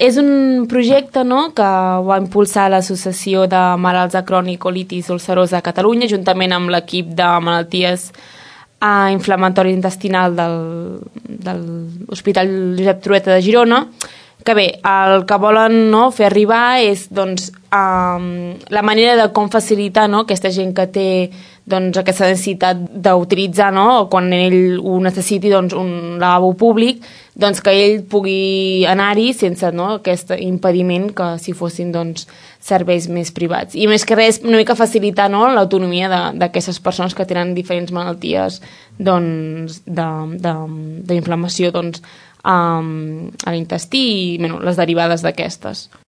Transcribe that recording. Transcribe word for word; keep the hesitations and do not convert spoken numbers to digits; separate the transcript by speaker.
Speaker 1: és un projecte, no?, que va impulsar l'Associació de Malalts de Crohn i Colitis Ulcerosa a Catalunya, juntament amb l'equip de malalties eh, inflamatori intestinal del, de l'Hospital Josep Trueta de Girona, que bé, el que volen, no, fer arribar és doncs, um, la manera de com facilitar, no, aquesta gent que té doncs, aquesta necessitat d'utilitzar, no, o quan ell ho necessiti, doncs, un lavabo públic, doncs, que ell pugui anar-hi sense, no, aquest impediment que si fossin doncs, serveis més privats. I més que res, una mica facilitar, no, l'autonomia d'aquestes persones que tenen diferents malalties doncs, d'inflamació doncs, a l'intestí i bueno, les derivades d'aquestes.